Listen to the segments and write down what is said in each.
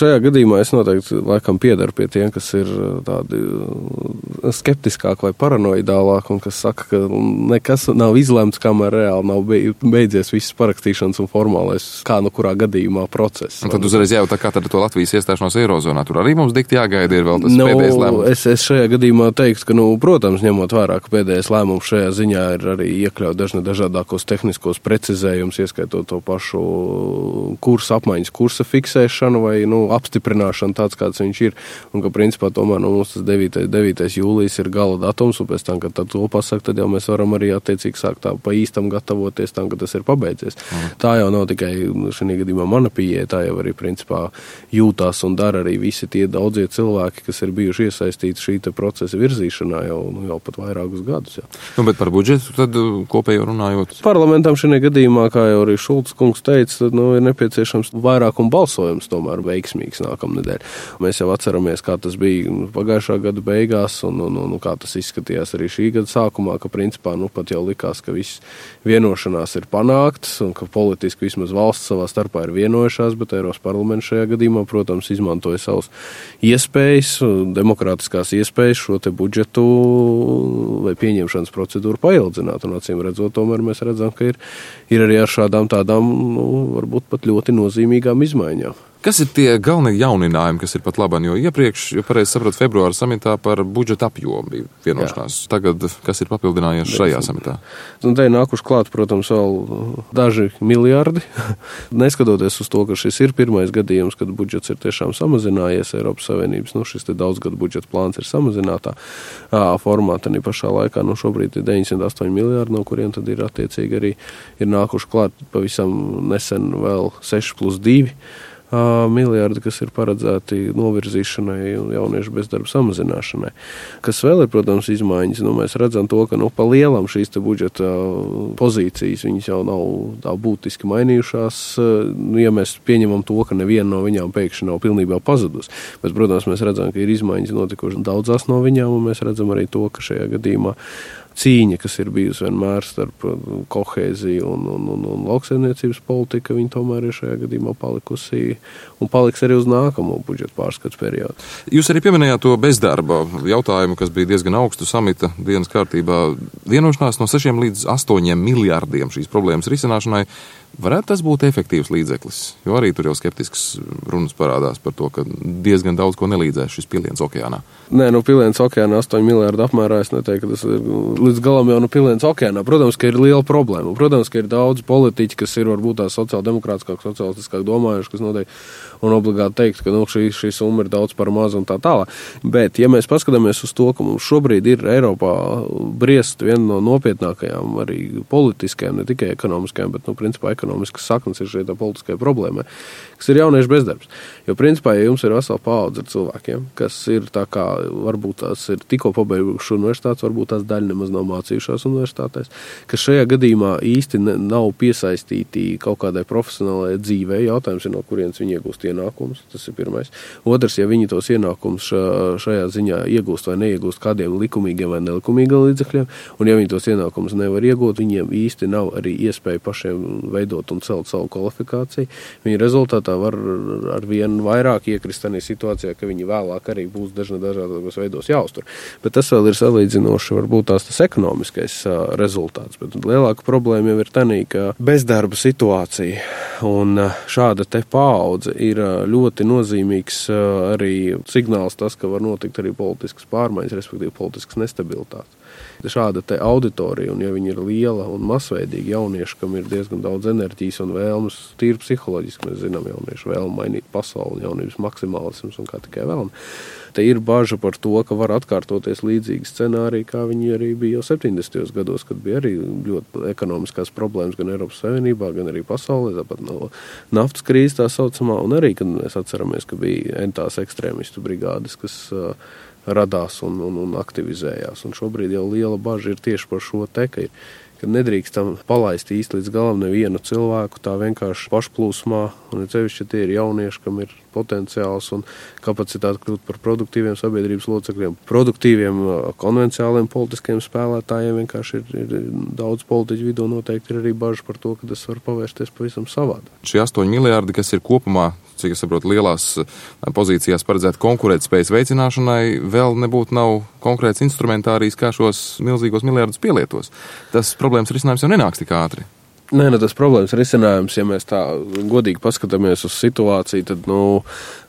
šajā gadījumā es noteikti laikam piedaru pie tiem, kas ir tādi skeptiskāk vai paranoidālāk un kas saka, ka nekas nav izlemts, kamēr reāli nav beidzies viss parakstīšanas un formālais kā nu kurā gadījumā process. Un tad uzreiz jājautā, kā tad to Latvijas iestāšanos Eirozonā. Tur arī mums dikti jāgaida ir vēl tas pēdējais lēmums. Es šajā gadījumā teiktu, ka, protams, ņemot vērā, ka pēdējais lēmums šajā ziņā ir arī iekļaut dažādākos tehniskos precizējumus, ieskaitot to pašu kursa fiksēšanu vai apstiprināšanu tāds, kāds viņš ir. Un ka principā tomēr mums tas 9. jūlijas ir gala datums, un pēc tam, kad to pasaka, tad jau mēs varam arī attiecīgi sākt tā pa īstam gatavoties tam, ka tas ir pabeidzies. Tā jau nav tikai šajā gadījumā mana pieeja, tā jau arī principā jūtās un dara arī visi tie daudzie cilvēki, kas ir bijuši iesaistīti šī procesa virzīšanā jau pat vairākus gadus. Jā. Bet par budžetu tad kopējo runājot? Parlamentam šajā gadījumā, kā jau arī Šulcs kungs teica, tad ir nepieciešams vairākuma balsojums tomēr veiksmīgs nākamnedēļ. Mēs jau atceramies, kā tas bija pagājušā gada beigās un kā tas izskatījās arī šī gada sākumā, ka principā pat jau likās, ka viss vienošanās ir panāktas un ka politiski vismaz valsts savā starpā ir vienojušās, bet Eiropas parlaments šajā gadījumā, protams, izmantoja savas iespējas, demokrātiskās iespējas šo te budžetu vai pieņemšanas procedūru paildzināt. Un acīm redzot, tomēr mēs redzam, ka ir arī ar šādām tādām, varbūt pat ļoti nozīmīgām izmaiņām. Kas ir tie galvenie jauninājumi, kas ir pat labāk? Jo iepriekš, pareizi sapratu, februāra samitā par budžeta apjomu bija vienošanās. Jā. Tagad, kas ir papildinājies šajā samitā? Un te ir nākuši klāt, protams, vēl daži miljardi. Neskatoties uz to, ka šis ir pirmais gadījums, kad budžets ir tiešām samazinājies Eiropas Savienības, šis te daudzgadu budžeta plāns ir samazinātā formātā, arī pašā laikā, šobrīd ir 908 miljardi, no kuriem tad ir attiecīgi arī ir nākuši klāt pavisam nesen vēl 6+2 miljardi, kas ir paredzēti novirzīšanai un jauniešu bezdarba samazināšanai. Kas vēl ir, protams, izmaiņas, mēs redzam to, ka pa lielam šīs te budžeta pozīcijas, viņas jau nav tā būtiski mainījušās, ja mēs pieņemam to, ka neviena no viņām pēkšņi nav pilnībā pazudus. Bet, protams, mēs redzam, ka ir izmaiņas notikušas daudzās no viņām, un mēs redzam arī to, ka šajā gadījumā cīņa, kas ir bijusi vienmēr starp kohēziju un lauksaimniecības politika, viņa tomēr ir šajā gadījumā palikusi un paliks arī uz nākamo budžeta pārskats periodu. Jūs arī pieminējāt to bezdarba jautājumu, kas bija diezgan augstu samita dienas kārtībā. Vienošanās no 6 līdz 8 miljārdiem šīs problēmas risināšanai. Varētu tas būt efektīvs līdzeklis, jo arī tur jau skeptisks runas parādās par to, ka diezgan daudz ko nelīdzēs šis piliens okeānā. Nē, piliens okeānā 8 miljārdu apmērā, es neteiktu, ka tas ir līdz galam jau piliens okeānā. Protams, ka ir liela problēma. Protams, ka ir daudz politiķi, kas ir varbūt tās sociāldemokrātiskāk, sociālistiskāk domājuši, kas noteikti un obligāti teikt, ka šī summa ir daudz par mazu un tā tālāk. Bet, ja mēs paskatāmies uz to, ka mums šobrīd ir Eiropā briest viena no nopietnākajām arī politiskajām, ne tikai ekonomiskajām, bet, principā ekonomiskas saknes ir šeit tā politiskai problēmai, kas ir jauniešu bezdarbs. Jo, principā, ja jums ir vesela paudze ar cilvēkiem, kas ir tā kā, varbūt tās ir tikko pabeiguši universitātes, varbūt tās daļa nemaz nav mācījušās universitātēs, kas šajā gadījumā īsti nav piesaistīti kaut kādai profesionālajai dzīvei. Jautājums ir, no kurienes viņi iegūst ienākumus, tas ir pirmais. Otrs, ja viņi tos ienākumus šajā ziņā iegūst vai neiegūst kādiem likumīgiem vai nelikumīgiem līdzekļiem, un ja viņi tos ienākumus nevar iegūt, viņiem īsti nav arī iespēja pašiem veidot un celt savu kvalifikāciju. Viņi rezultātā var ar vien vairāk iekrist tādā situācijā, ka viņi vēlāk arī būs dažādos veidos jāuztur. Bet tas vēl ir salīdzinoši varbūt tas ekonomiskais rezultāts. Bet lielāka problēma jau ir tā, ka bezdarba situācija un šāda te paudze ir ļoti nozīmīgs arī signāls tas, ka var notikt arī politiskas pārmaiņas, respektīvi politiskas nestabilitātes. Šāda te auditorija, un ja viņi ir liela un masveidīga jaunieši, kam ir diezgan daudz enerģijas un vēlmes, tīri psiholoģiski, mēs zinām jauniešu vēlmu mainīt pasauli, jaunības maksimālisms un kā tikai vēlme. Te ir baža par to, ka var atkārtoties līdzīgi scenāriji, kā viņi arī bija jau 70. gados, kad bija arī ļoti ekonomiskās problēmas gan Eiropas Savienībā, gan arī pasaulē, tāpat no naftas krīzes tā saucamā, un arī, kad mēs atceramies, ka bija entās ekstrēmistu brigādes, kas radās un aktivizējās. Un šobrīd jau liela baža ir tieši par šo te, ka nedrīkstam palaist īsti līdz galam nevienu cilvēku tā vienkārši pašplūsmā, un cevišķi tie ir jaunieši, kam ir potenciāls un kapacitāte kļūt par produktīviem sabiedrības locekļiem, produktīviem konvenciāliem politiskiem spēlētājiem. Vienkārši ir daudz politiķu vidū noteikti ir arī bažas par to, ka tas var pavērsties pavisam savādāk. Šie 8 miljārdi, kas ir kopumā cik es saprotu, lielās pozīcijās paredzēt konkurētspējas veicināšanai, vēl nav konkrēts instrumentārijs, kā šos milzīgos miljardus pielietos. Tas problēmas risinājums jau nenāks tik ātri. Nē, tas problēmas risinājums, ja mēs tā godīgi paskatāmies uz situāciju, tad,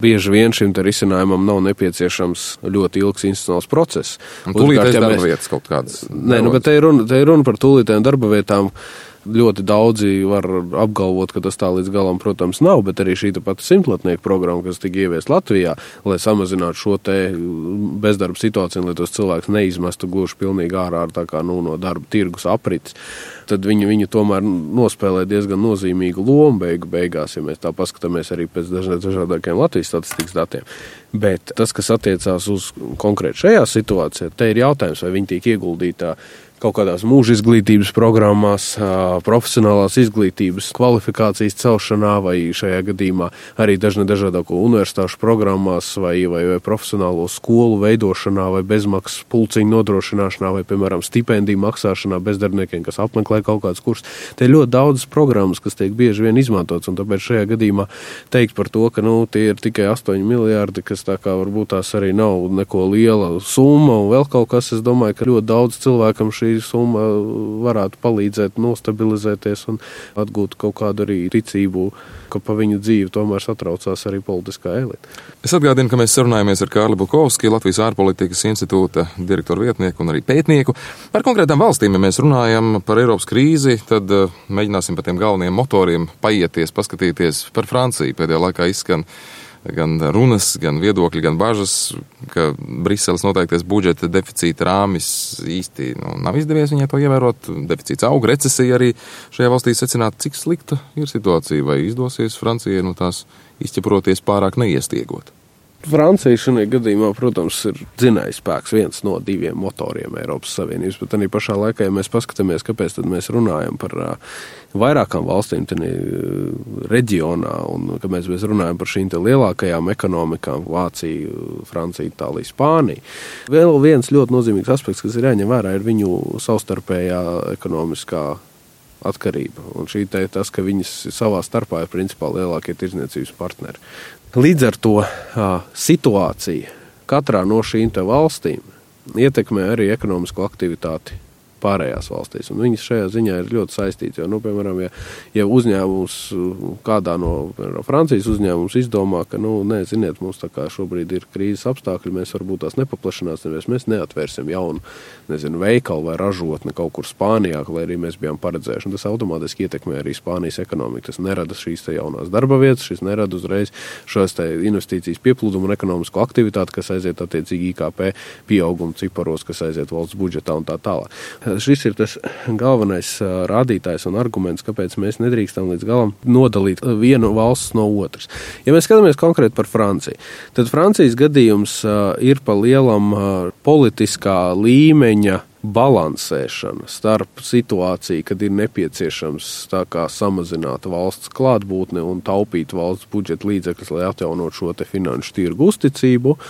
bieži vien šim te risinājumam nav nepieciešams ļoti ilgs institucionāls process. Un tūlītēs darba vietas kaut kādas. Nē, bet te ir runa par tūlītēm darba vietām. Ļoti daudzi var apgalvot, ka tas tā līdz galam, protams, nav, bet arī šī pati simtlatnieku programma, kas tika ieviest Latvijā, lai samazinātu šo te bezdarba situāciju, lai tos cilvēkus neizmestu gluži pilnīgi ārā tā kā, no darba tirgus aprits, tad viņi tomēr nospēlē diezgan nozīmīgu lomu beigās, ja mēs tā paskatāmies arī pēc dažādākiem Latvijas statistikas datiem. Bet tas, kas attiecās uz konkrēti šajā situācijā, te ir jautājums, vai viņi tiek ieguldītā kaut kādās mūža izglītības programmās, profesionālās izglītības kvalifikācijas celšanā vai šajā gadījumā arī dažādāko universitāšu programmās vai profesionālo skolu veidošanā vai bezmaksas pulciņu nodrošināšanā vai, piemēram, stipendiju maksāšanā bezdarbniekiem, kas apmeklē kaut kāds kurs. Te ir ļoti daudzas programmas, kas tiek bieži vien izmantotas, un tāpēc šajā gadījumā teikt par to, ka tie ir tikai 8 miljārdi, kas tā kā varbūt tās arī nav neko liela summa un vēl kaut kas, es domāju, ka ļoti daudz cilvēkam šī summa varētu palīdzēt nostabilizēties un atgūt kaut kādu arī ticību, ka pa viņu dzīvi tomēr satraucās arī politiskā elite. Es atgādinu, ka mēs sarunājamies ar Kārli Bukovski, Latvijas ārpolitikas institūta direktoru vietnieku un arī pētnieku. Par konkrētām valstīm, ja mēs runājam par Eiropas krīzi, tad mēģināsim par tiem galvenajiem motoriem paieties, paskatīties par Franciju. Pēdējā laikā izskan gan runas, gan viedokļi, gan bažas, ka Briseles noteikties budžeta deficīta rāmis īsti nav izdevies viņai to ievērot. Deficīts aug, recesija arī šajā valstī secināt, cik slikta ir situācija, vai izdosies Francijai tās izķeproties pārāk neiestiegot. Francija šajā gadījumā, protams, ir dzinējspēks, viens no 2 motoriem Eiropas Savienības, bet arī pašā laikā, ja mēs paskatāmies, kāpēc tad mēs runājam par vairākām valstīm reģionā, un kad mēs runājam par šīm lielākajām ekonomikām, Vācija, Francija, Itālija, Spānija. Vēl viens ļoti nozīmīgs aspekts, kas ir jāņem vērā, ir viņu savstarpējā ekonomiskā atkarība. Un tas, ka viņas savā starpā ir principā lielākie tirdzniecības partneri. Līdz ar to situācija katrā no šīm valstīm ietekmē arī ekonomisko aktivitāti pārējās valstīs. Un viņas šajā ziņā ir ļoti saistīts. Jo, piemēram, ja uzņēmums, kādā no Francijas uzņēmums izdomā, ka, ziniet, mums tā kā šobrīd ir krīzes apstākļi, mēs varbūt tās nepaplašināsimies, mēs neatvērsim jaunu, veikalu vai ražotni kaut kur Spānijā, lai arī mēs bijām paredzējuši. Un tas automātiski ietekmē arī Spānijas ekonomiku. Tas nerada šīs jaunās darba vietas, šis nerada uzreiz šos investīcijas pieplūdumu un ekonomisko aktivitāti, kas aiziet attiecīgi IKP pieauguma ciparos, kas aiziet valsts budžetā un tā tālāk. Šis ir tas galvenais rādītājs un arguments, kāpēc mēs nedrīkstam līdz galam nodalīt vienu valsts no otras. Ja mēs skatāmies konkrēti par Franciju, tad Francijas gadījums ir pa lielam politiskā līmeņa balansēšana starp situāciju, kad ir nepieciešams tā kā samazināt valsts klātbūtni un taupīt valsts budžeta līdzekļus, lai atjaunot šo te finanšu tirgu uzticību,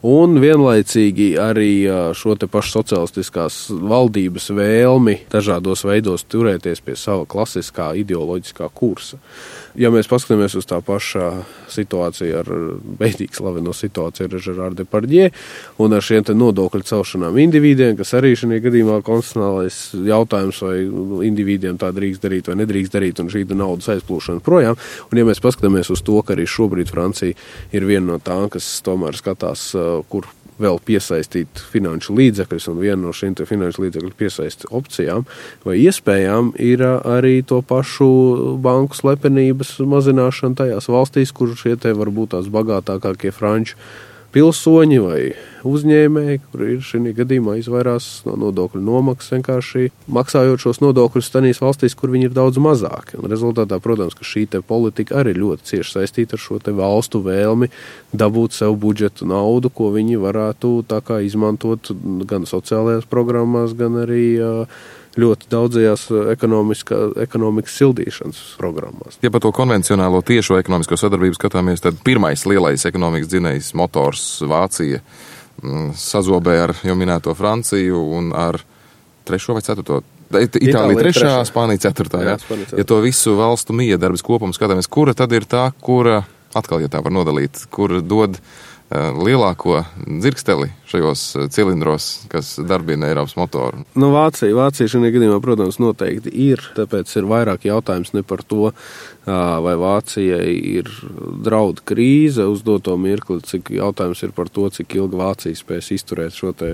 un vienlaicīgi arī šo te pašu socialistiskās valdības vēlmi dažādos veidos turēties pie sava klasiskā ideoloģiskā kursa. Ja mēs paskatāmies uz tā pašā situāciju ar beidīgi slaveno situāciju ar Žerāru Depardjē un ar šiem te nodokļu celšanām individiem, kas arī šajā gadījumā konstitucionālais jautājums, vai individiem tā drīkst darīt vai nedrīkst darīt, un šī naudas aizplūšana projām. Un ja mēs paskatāmies uz to, ka arī šobrīd Francija ir viena no tām, kas tomēr skatās, kur vēl piesaistīt finanšu līdzekļus, un viena no šīm finanšu līdzekļu piesaist opcijām vai iespējām ir arī to pašu banku slepenības mazināšana tajās valstīs, kur šie varbūt tās bagātākākie franču pilsoņi vai uzņēmēji, kur ir šī gadījumā izvairās no nodokļu nomaksas, vienkārši maksājot šos nodokļus tanīs valstīs, kur viņi ir daudz mazāki. Un rezultātā, protams, ka šī politika arī ļoti cieši saistīta ar šo valstu vēlmi dabūt sev budžetu naudu, ko viņi varētu tā kā izmantot gan sociālajās programmās, gan arī ļoti daudzajās ekonomikas sildīšanas programmās. Ja par to konvencionālo tiešo ekonomisko sadarbību skatāmies, tad pirmais lielais ekonomikas dzinējs motors Vācija sazobē ar jau minēto Franciju un ar 3. vai 4. Itālija 3., Spānija 4. Ja to visu valstu miedarbības kopumu skatāmies, kura tad ir tā, kura Atkal, ja tā var nodalīt, kur dod lielāko dzirksteli šajos cilindros, kas darbina Eiropas motoru? Nu, Vācija šajā gadījumā, protams, noteikti ir, tāpēc ir vairāk jautājums ne par to, vai Vācijai ir draudu krīze uz doto mirkli, cik jautājums ir par to, cik ilgi Vācija spēs izturēt šo te,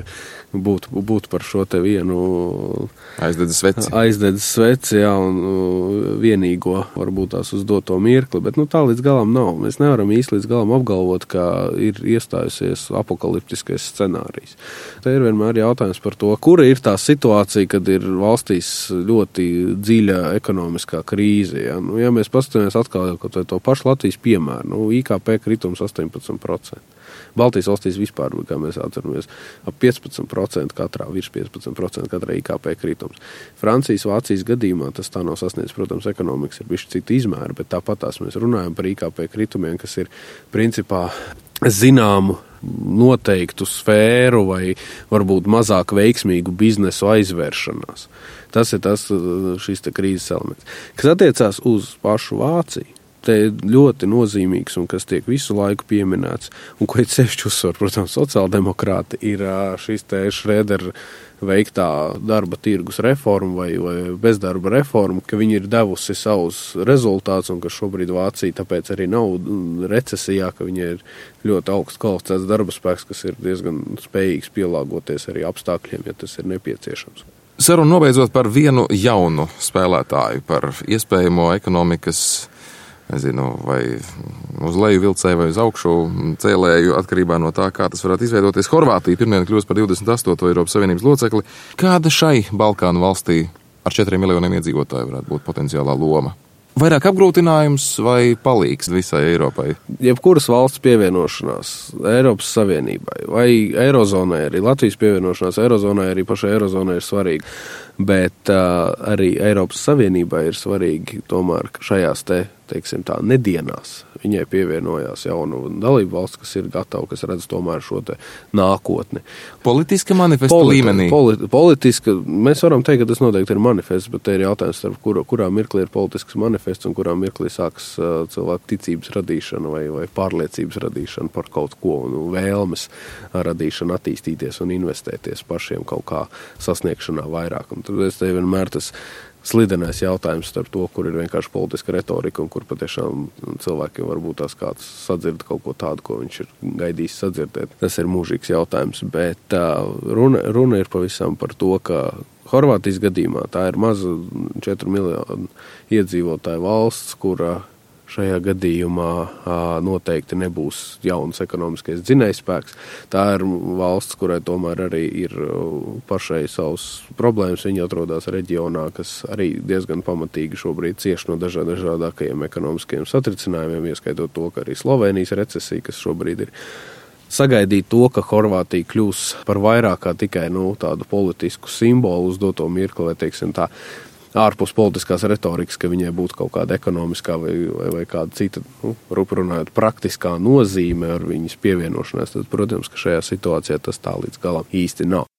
būt par šo te vienu aizdedzes sveci, jā, un vienīgo varbūt tās uz doto mirkli, bet tā līdz galam nav. Mēs nevaram īsti līdz galam apgalvot, ka ir iestājusies apokaliptiskais scenārijs. Te ir vienmēr jautājums par to, kura ir tā situācija, kad ir valstīs ļoti dziļa ekonomiskā krīze. Ja, ja mēs paskatāmies atkal to pašu Latvijas piemēru, IKP kritums 18%. Baltijas valstīs vispār, kā mēs atceramies, ap 15% katrā, virs 15% katrā IKP kritums. Francijas, Vācijas gadījumā tas tā nav sasniedz, protams, ekonomikas ir bišķi cita izmēra, bet tāpat mēs runājam par IKP kritumiem, kas ir principā zināmu noteiktu sfēru vai varbūt mazāk veiksmīgu biznesu aizvēršanās. Tas ir šis te krīzes elements. Kas attiecās uz pašu Vāciju, te ļoti nozīmīgs un kas tiek visu laiku pieminēts, un ko it sevišķi uzsver, protams, sociāldemokrāti, ir šis te Šrēdera veiktā darba tirgus reforma vai bezdarba reforma, ka viņi ir devusi savus rezultātus un ka šobrīd Vācija tāpēc arī nav recesijā, ka viņi ir ļoti augsts kvalificēts darba spēks, kas ir diezgan spējīgs pielāgoties arī apstākļiem, ja tas ir nepieciešams. Sarunu nobeidzot par vienu jaunu spēlētāju, par iespējamo ekonomikas, nezinu, vai uz leju vilcēju vai uz augšu cēlēju, atkarībā no tā, kā tas varētu izveidoties. Horvātija pirmdien kļūst par 28. Eiropas Savienības locekli. Kāda šai Balkānu valstī ar 4 miljoniem iedzīvotāju varētu būt potenciālā loma? Vairāk apgrūtinājums vai palīgs visai Eiropai? Jebkuras valsts pievienošanās Eiropas Savienībai vai Eirozonai, arī Latvijas pievienošanās Eirozonai, arī pašai Eirozonai ir svarīga. Bet arī Eiropas Savienībai ir svarīgi tomēr, ka šajās teiksim tā, nedienās viņai pievienojās jaunu dalību valsts, kas ir gatava, kas redz tomēr šo te nākotni. Politiska manifesta līmenī? Politiska, mēs varam teikt, ka tas noteikti ir manifests, bet te ir jautājums, kurā mirklī ir politisks manifests un kurā mirklī sāks cilvēku ticības radīšana vai pārliecības radīšana par kaut ko un vēlmes radīšana attīstīties un investēties pašiem kaut kā sasniegšanā vairāk. Un tad es te vienmēr tas slidenais jautājums starp to, kur ir vienkārši politiska retorika un kur patiešām cilvēkiem varbūt tās kāds sadzird kaut ko tādu, ko viņš ir gaidījis sadzirdēt. Tas ir mūžīgs jautājums, bet runa ir pavisam par to, ka Horvātijas gadījumā tā ir maza 4 miljonu iedzīvotāju valsts, kura šajā gadījumā noteikti nebūs jauns ekonomiskais dzinējspēks. Tā ir valsts, kurai tomēr arī ir pašai savas problēmas. Viņi atrodas reģionā, kas arī diezgan pamatīgi šobrīd cieš no dažādākajiem ekonomiskajiem satricinājumiem, ieskaitot to, ka arī Slovēnijas recesija, kas šobrīd ir sagaidīt to, ka Horvātija kļūs par vairāk kā tikai tādu politisku simbolu uz doto mirkli, vai teiksim tā, ārpus politiskās retorikas, ka viņai būtu kaut kāda ekonomiskā vai kāda cita, runājot, praktiskā nozīme ar viņas pievienošanās, tad, protams, ka šajā situācijā tas tā līdz galam īsti nav.